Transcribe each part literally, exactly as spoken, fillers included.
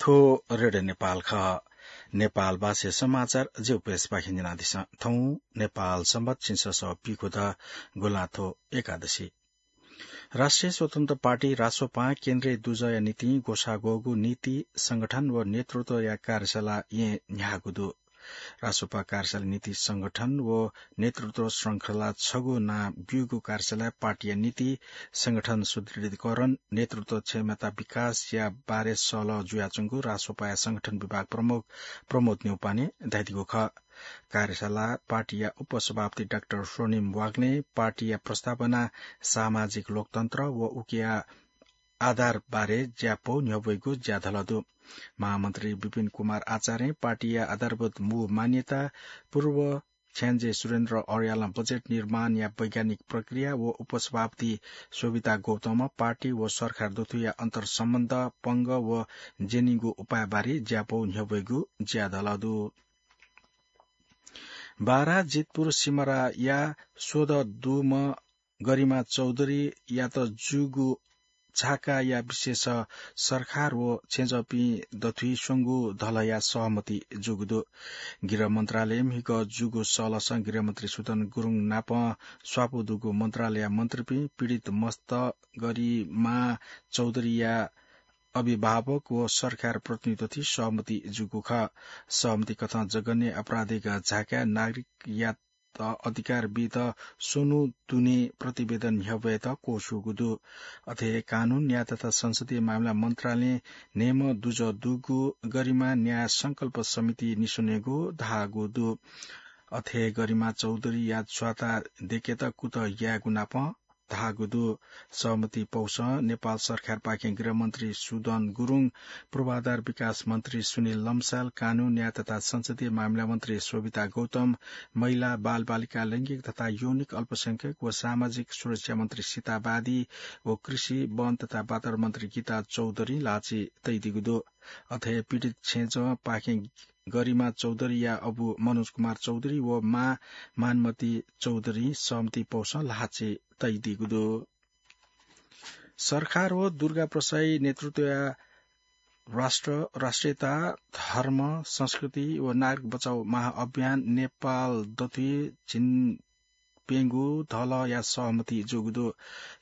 थ्व रेडियो नेपाल खः। नेपाल भाषाया समाचार ज्यू प्रेसपाखें न्यनादिसँ। थौं नेपाल संवत् झिंछसः पीखुदँ गुंलाथ्व एकादशी। राष्ट्रिय स्वतन्त्र पार्टी रासोपां केन्द्रीय दुजःया निंतिं ग्वसाः ग्वःगु नीति, संगठन व नेतृत्वया कार्यशाला येँ न्ह्याःगु दु। रासोपा कार्यशाला नीति, संगठन व नेतृत्व श्रृंखला छगू नां ब्यूगु कार्यशालाय् पार्टीया नीति, संगठन सुदृढीकरण, नेतृत्व क्षमता विकासया बारे सहलह जुयाच्वंगु रासोपाया संगठन विभाग प्रमुख प्रमोद न्यौपाने धयादीगु खः। कार्यशाला पार्टीया उपसभापति डाक्टर स्वर्णिम वाग्लें पार्टीया प्रस्तावना, सामाजिक लोकतन्त्र व उकिया आधार बारे ज्यापौ न्ह्यब्वइगु ज्याधलः दु। महामन्त्री विपिन कुमार आचार्यं पार्टीया आधारभूत मू मान्यता, पूर्व छ्याञ्जे सुरेन्द्र अर्यालं बजेट निर्माणया वैज्ञानिक प्रक्रिया व उपसभापति शोभिता गौतमं पार्टी व सरकार दथुया अन्तर्सम्बन्ध, पंगः व ज्यनीगु उपायबारे ज्यापौ न्ह्यब्वइगु ज्याधलः दु। बारा जितपुर सिमराया स्वदँ दुम्ह गरिमा चौधरीयात जूगु झाकाया विषयस सरकार व छेँजःपिं दथुइ स्वंगू धलःया सहमति जूगु दु। गृह मन्त्रालयं म्हिगः जूगु सहलहसं गृहमन्त्री सुदन गुरुङ नाप स्वापू दुगु मन्त्रालयया मन्त्रीपिं, पीडित मस्त गरिमा चौधरीया अभिभावक व सरकार प्रतिनिधि दथुइ सहमति जूगु खः। सहमति कथं जघन्य आपराधिक झाकाय् नागरिकया त अधिकार बीत स्वन्हु दुने प्रतिवेदन न्ह्यब्वयेत क्वछुगु दु। अथे हे कानून, न्याय तथा संसदीय मामिला मन्त्रालयं न्हय्म्ह दुजः दुगु गरिमा न्याय संकल्प समिति निस्वनेगु धाःगु दु। अथे हे गरिमा चौधरीया च्वाता देकेत कुतः यायेगु नाप धाःगु दु। सहमति पौसं नेपाल सरकारपाखें गृहमन्त्री सुदन गुरुङ, पूर्वाधार विकास मन्त्री सुनिल लम्साल, कानून, न्याय तथा संसदीय मामिला मन्त्री शोभिता गौतम, महिला, बालबालिका, लैंगिक तथा यौनिक अल्पसंख्यक व सामाजिक सुरक्षा मन्त्री सीता बादी व कृषि, वन तथा वातावरण मन्त्री गीता चौधरीं ल्हाःचिं तयादीगु दु। अथे हे पीडित छेँजःपाखें गरिमा चौधरीया अबु मनोज कुमार चौधरी व मां मानमती चौधरीं सहमति पौसं ल्हाःचिं तयादीगु दु। सरकार व दुर्गा प्रसाई नेतृत्वया राष्ट्र, राष्ट्रियता, धर्म, संस्कृति व नागरिक बचाउ महाअभियान नेपाल दथुइ झिंप्यंगू धलःया सहमति जूगु दु।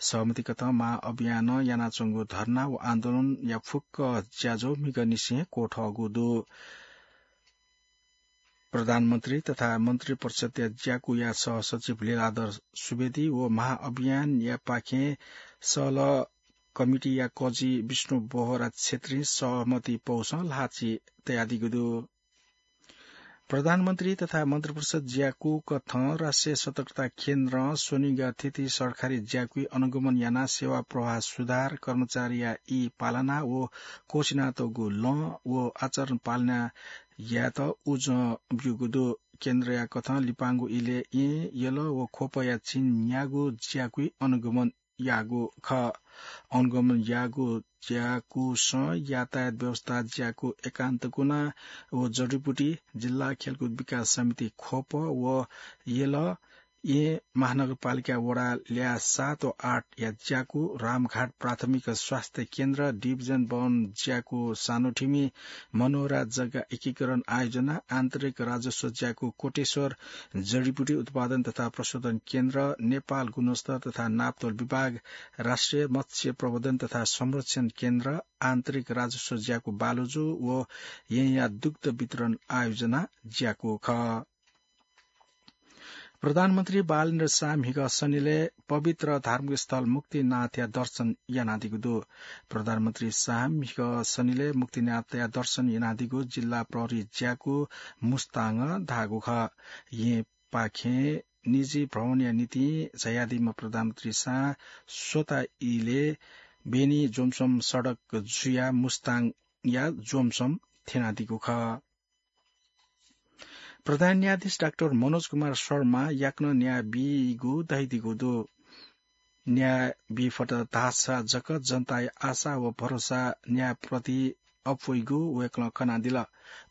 सहमति कथं महाअभियानं यानाच्वंगु धर्ना व आन्दोलनया फुक्क ज्याझ्वः म्हिगःनिसें क्वथःगु दु। प्रधानमन्त्री तथा मन्त्रिपरिषदया ज्याकुया सहसचिव लीलाधर सुवेदी व महाअभियानयापाखें सहलह कमिटीया कजि विष्णु बोहरा छेत्रीं सहमति पौसं ल्हाःचिं तयादीगु दु। प्रधानमन्त्री तथा मन्त्रिपरिषद ज्याकु कथं राष्ट्रिय सतर्कता केन्द्रं स्वनिगः थीथी सरकारी ज्याकुइ अनुगमन यानाः सेवा प्रवाह सुधार, कर्मचारीया ई पालना व क्वःछिनातःगु लँ व आचरण पालना यायेत उजं ब्यूगु दु। केन्द्रया कथं लिपांगु इलय् येँ, यल व ख्वपया चिं न्यागू ज्याकुइ अनुगमन याःगु खः। अनुगमन याःगु ज्याकुसं यातायात व्यवस्था ज्याकु एकान्त कुना व जडीबुटी, जिल्ला खेलकुद विकास समिति ख्वप व यल, येँ महानगरपालिका वडा ल्याः सात व आठ या ज्याकु, रामघाट प्राथमिक स्वास्थ्य केन्द्र, डिभिजन भवन ज्याकु सानोठिमी, मनोरा जग्गा एकीकरण आयोजना, आन्तरिक राजस्व ज्याकु कोटेश्वर, जडीबुटी उत्पादन तथा प्रशोधन केन्द्र, नेपाल गुणस्तर तथा नापतोल विभाग, राष्ट्रिय मत्स्य प्रवर्धन तथा संरक्षण केन्द्र, आन्तरिक राजस्व ज्याकु बालुजु व येँया दुग्ध वितरण आयोजना ज्याकु खः। प्रधानमन्त्री बालेन्द्र शाह म्हिगः शनिलय् पवित्र धार्मिक स्थल मुक्तिनाथया दर्शन यानादीगु दु। प्रधानमन्त्री शाह म्हिगः शनिलय् मुक्तिनाथया दर्शन यानादीगु जिल्ला प्रहरी ज्याकु मुस्ताङं धाःगु खः। येँपाखें निजी भ्रमणया निंतिं झायादीम्ह प्रधानमन्त्री शाह स्वता इलय् बेनी जोमसोम सडक जुयाः मुस्ताङया जोमसोम थ्यनादीगु खः। प्रधान न्यायाधीश डाक्टर मनोज कुमार शर्मा याकनं न्याय बीगु धयादीगु दु। न्याय बी फत धाःसा जक जनताया आशा व भरोसा न्यायप्रति अप्वइगु वय्कलं कनादिल।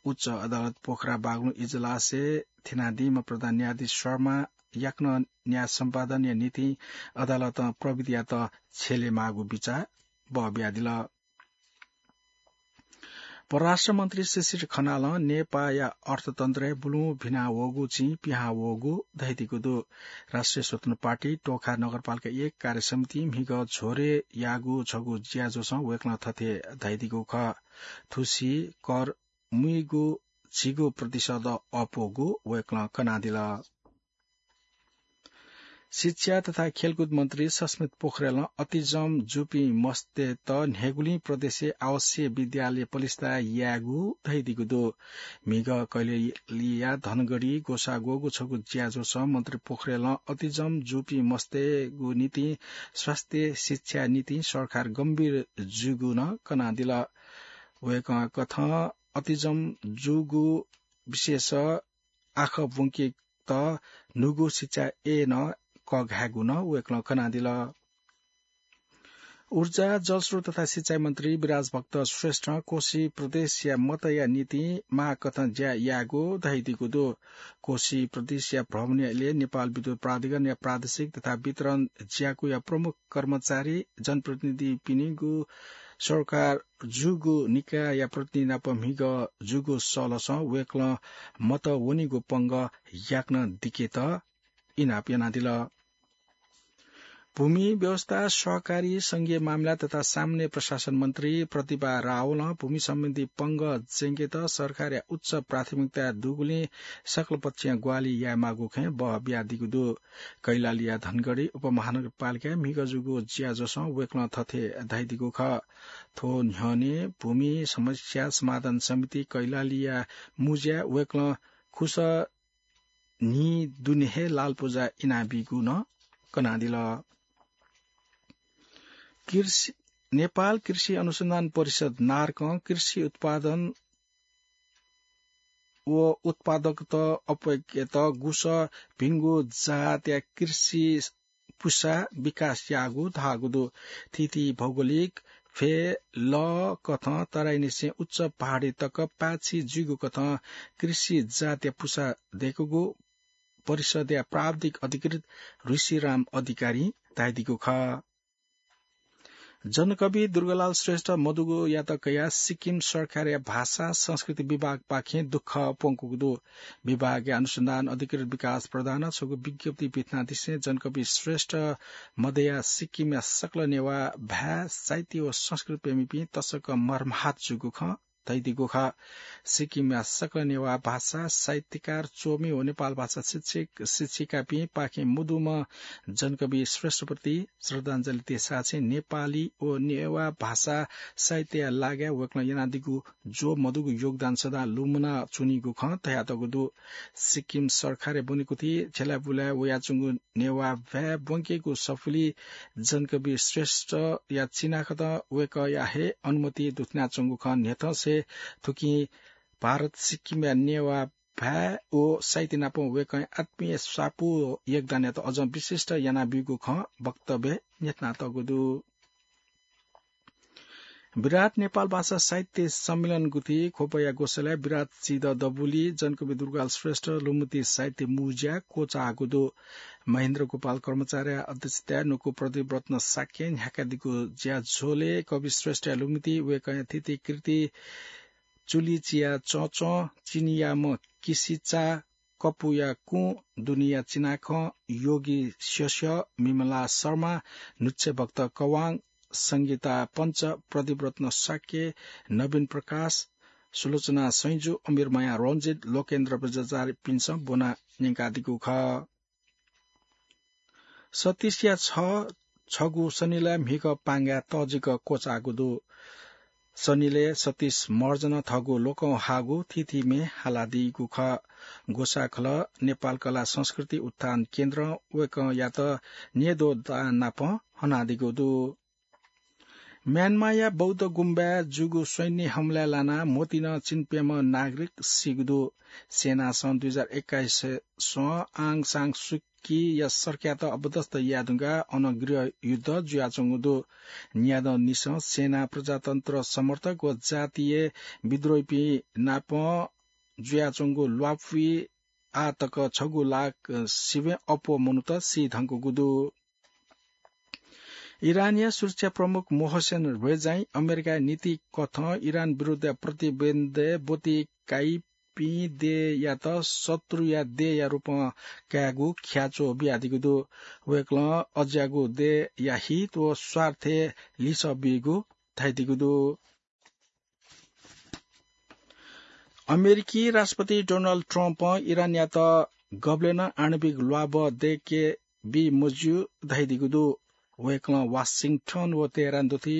उच्च अदालत पोखरा बागलुङ इजलासय् थ्यनादीम्ह प्रधान न्यायाधीश शर्मा याकनं न्याय सम्पादनया निंतिं अदालतं प्रविधियात छ्यले माःगु बिचाः बहबियादिल। परराष्ट्र मन्त्री शिशिर खनालं नेपाःया अर्थतन्त्रय् बुलुं भिनावःगु चिं पिहां वःगु धयादीगु दु। राष्ट्रिय स्वतन्त्र पार्टी टोखा नगरपालिका एक कार्य समितिं म्हिगः झ्वरे याःगु छगू ज्याझ्वसं वय्कलं थथे धयादीगु खः। थुसी कर मुइगु झिगू प्रतिशत अप्वःगु वय्कलं कनादिल। शिक्षा तथा खेलकुद मन्त्री सस्मित पोखरेलं अतिजम जूपिं मस्तय्त न्हय्गुलिं प्रदेशय् आवासीय विद्यालय पलिस्था यायेगु धयादीगु दु। म्हिगः कैलालीया धनगढी ग्वसाः ग्वःगु छगू ज्याझ्वसं मन्त्री पोखरेलं अतिजम जूपिं मस्तय्गु निंतिं स्वास्थ्य शिक्षा निंतिं सरकार गम्भीर जूगु नं कनादिल। वय्कः कथं अतिजम जूगु विशेष आँखा ब्वंकेत न्हूगु शिक्षा ए नं कःघायेगु नं वय्कलं कनादिल। ऊर्जा, जलस्रोत तथा सिँचाइ मन्त्री विराज भक्त श्रेष्ठं कोशी प्रदेशया मतया निंतिं माःकथं ज्या यायेगु धयादीगु दु। कोशी प्रदेशया भ्रमणया इलय् नेपाल विद्युत प्राधिकरणया प्रादेशिक तथा वितरण ज्याकुया प्रमुख कर्मचारी, जनप्रतिनिधिपिनिगु सरकार जूगु निकायया प्रतिनिधि नाप म्हिगः जूगु सलसं वय्कलं मत वनीगु पंगः याकनं दिकेत इनाप यानादिल। भूमि व्यवस्था, सहकारी, संघीय मामिला तथा सामान्य प्रशासन मन्त्री प्रतिभा रावलं भूमि सम्बन्धी पंगः ज्यंकेत सरकारया उच्च प्राथमिकता दुगुलिं सकलपक्षीय ग्वाहालि यायेमाःगु खँय् बः बियादीगु दु। कैलालीया धनगढी उपमहानगरपालिकाय् म्हिगः जूगु ज्याझ्वसं वय्कलं थथे धयादीगु खः। थ्व न्ह्यःने भूमि समस्या समाधान समिति कैलालीया मुँज्याय् वय्कलं खुसः न्हि दुने हे लालपुजा इनाबीगु नं कनादिल। कृषि, नेपाल कृषि अनुसन्धान परिषद नार्कं कृषि उत्पादन व उत्पादकता अप्वय्केत गुसः भिंगु जातया कृषि पुसा विकास याःगु धाःगु दु। थीथी भौगोलिक फय् लः कथं तराईनिसें उच्च पहाडी तक पाय्छि जुइगु कथं कृषि जातया पुसा दय्कूगु परिषदया प्राविधिक अधिकृत ऋषिराम अधिकारीं धयादीगु खः। जनकवि दुर्गालाल श्रेष्ठ मदुगुयात कयाः सिक्किम सरकारया भाषा संस्कृति विभागपाखें दुःख प्वंकूगु दु। विभागया अनुसन्धान अधिकृत विकास प्रधानं छगू विज्ञप्ति पिथनादिसें जनकवि श्रेष्ठ मदयाः सिक्किमया सकल नेवाः भाय्, साहित्य व संस्कृति प्रेमीपिं तसकं मर्माहत जूगु खँ धयादीगु खः। सिक्किमया सकल नेवाः भाषा साहित्यकार, च्वमि व नेपाल भाषा शिक्षक शिक्षिकापिं पाखें मदुम्ह जनकवि श्रेष्ठप्रति श्रद्धाञ्जलि देछासें नेपाली व नेवाः भाषा साहित्यया लागाय् वय्कलं यानादीगु ज्वः मदुगु योगदान सदां लुमना च्वनीगु खँ धयातःगु दु। सिक्किम सरकारय् ब्वनेकुथि झ्यलाबुलाय् वयाच्वंगु नेवाः भाय् ब्वंकेगु सफुली जनकवि श्रेष्ठया चिनाखतं वय्कःया हे अनुमति दुथ्यानाच्वंगु खँ न्ह्यथंसे थुकिं भारत सिक्किमया नेवाः भाय् व साहित्य नाप वय्कःया आत्मीय स्वापू व योगदानयात अझं विशिष्ट यानाब्यूगु खँ वक्तव्यय् न्ह्यथनातःगु दु। विराट नेपाल भाषा साहित्य सम्मेलन गुथि ख्वपया ग्वसालय् विराट चिदँ दबुली, जनकवि दुर्गालाल श्रेष्ठ लुमति साहित्य मुँज्या क्वचाःगु दु। महेन्द्र गोपाल कर्माचार्य अध्यक्षताय् नुगु प्रदीप रत्न शाक्यं न्ह्याकादीगु ज्याझ्वलय् कवि श्रेष्ठया लुमति, वय्कःया थीथी कृति चुलिचिया चंचं, चिनियाम्ह किसिचा, कपुया कुँ, दुनिया चिनाखँ, योगी स्यस्यः, मिमला शर्मा, नुच्छे भक्त कवाङ, संगीता पञ्च, प्रदीप रत्न शाक्य, नवीन प्रकाश, सुलोचना सैंजु, अमीर माया रञ्जित, लोकेन्द्र बज्राचार्यपिन्सं ब्वना न्यंकादीगु खः। सतीशया छ छगू सनिलय् म्हिगः पांगाय् तःजिक क्वचाःगु दु। सनिलय् सतीश महर्जनं थःगु लोकंहाःगु थीथी म्ये हालादीगु खः। ग्वसाःखलः नेपाल कला संस्कृति उत्थान केन्द्रं वय्कःयात न्येद्वः दां नाप हनादीगु दु। म्यानमाया बौद्ध गुम्बाय् जूगु सैन्य हमलाय् लानाः म्वतिनं चिन्प्यम्ह नागरिक सीगु दु। सेनासं दुई हजार एक्काइसय् स्वं आङ सान सुकीया सरकारयात अपदस्थ याये धुंकाः अन गृहयुद्ध जुयाच्वंगु दु। न्यादँनिसें सेना, प्रजातन्त्र समर्थक व जातीय विद्रोहीपिं नाप जुयाच्वंगु ल्वापुइ आः तक छगू लाख सिबें अप्वः मनूत सी धुंकूगु दु। इरानया सुरक्षा प्रमुख मोहसेन रेजाई अमेरिकाया नीति कथं इरान विरुद्ध प्रतिबन्ध ब्वति काइपिं देय्‌यात शत्रुया देय्‌या रूपं कायेगु ख्याच्वः बियादीगु दु। वय्‌कलं अज्याःगु देय्‌या हित व स्वार्थय् लिसः बीगु धयादीगु दु। अमेरिकी राष्ट्रपति डोनाल्ड ट्रम्पं इरानयात गबलें नं आणविक ल्वाभः दय्‌के बी मज्यू धयादीगु दु। वय्‌कलं वाशिंटन व तेहरान दुथि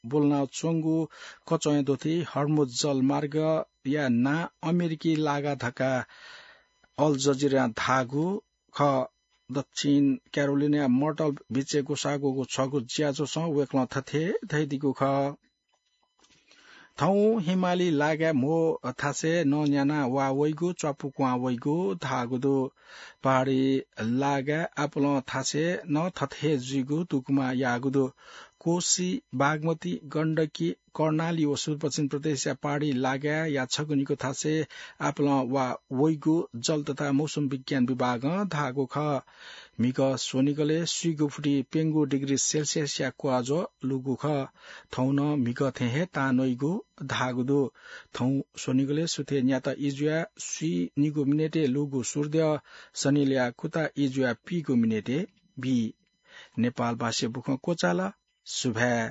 ब्वलनाच्वंगु कचःया दुथि हर्मुज जलमार्गया नां अमेरिकी लागा धकाः अल जजिरां धाःगु खः। दक्षिण क्यारोलिनाया मर्टल बीचय् ग्वसाः ग्वःगु छगू ज्याझ्वलय् वय्‌कलं थथे धयादीगु खः। थौं हिमाली लागाय् म्हो थासय् नं न्याना वा वइगु, च्वापु क्वहां वइगु धाःगु दु। पहाडी लागाय् आपालं थासय् नं थथे हे जुइगु दुगुमा याःगु दु। कोसी, बागमती, गण्डकी, कर्णाली व सुदूरपश्चिम प्रदेशया पहाडी लागाय्‌या छगू निगू थासय् आपालं वा वइगु जल तथा मौसम विज्ञान विभागं धाःगु खः। म्हिगः स्वनिगलय् स्वीगू फुति प्यंगू डिग्री सेल्सियसया क्वाःज्वः लूगु खः। थौं नं म्हिगः थें हे तां नइगु धाःगु दु। थौं स्वनिगलय् सुथय् न्याता ई जुयाः स्वीनिगू मिनेटय् लूगु सूर्यद्यः सनिलया कुता ई जुयाः पीगू मिनेटय् बी। नेपाल भाषाय् बुखँ क्वचाल। सुभाय्।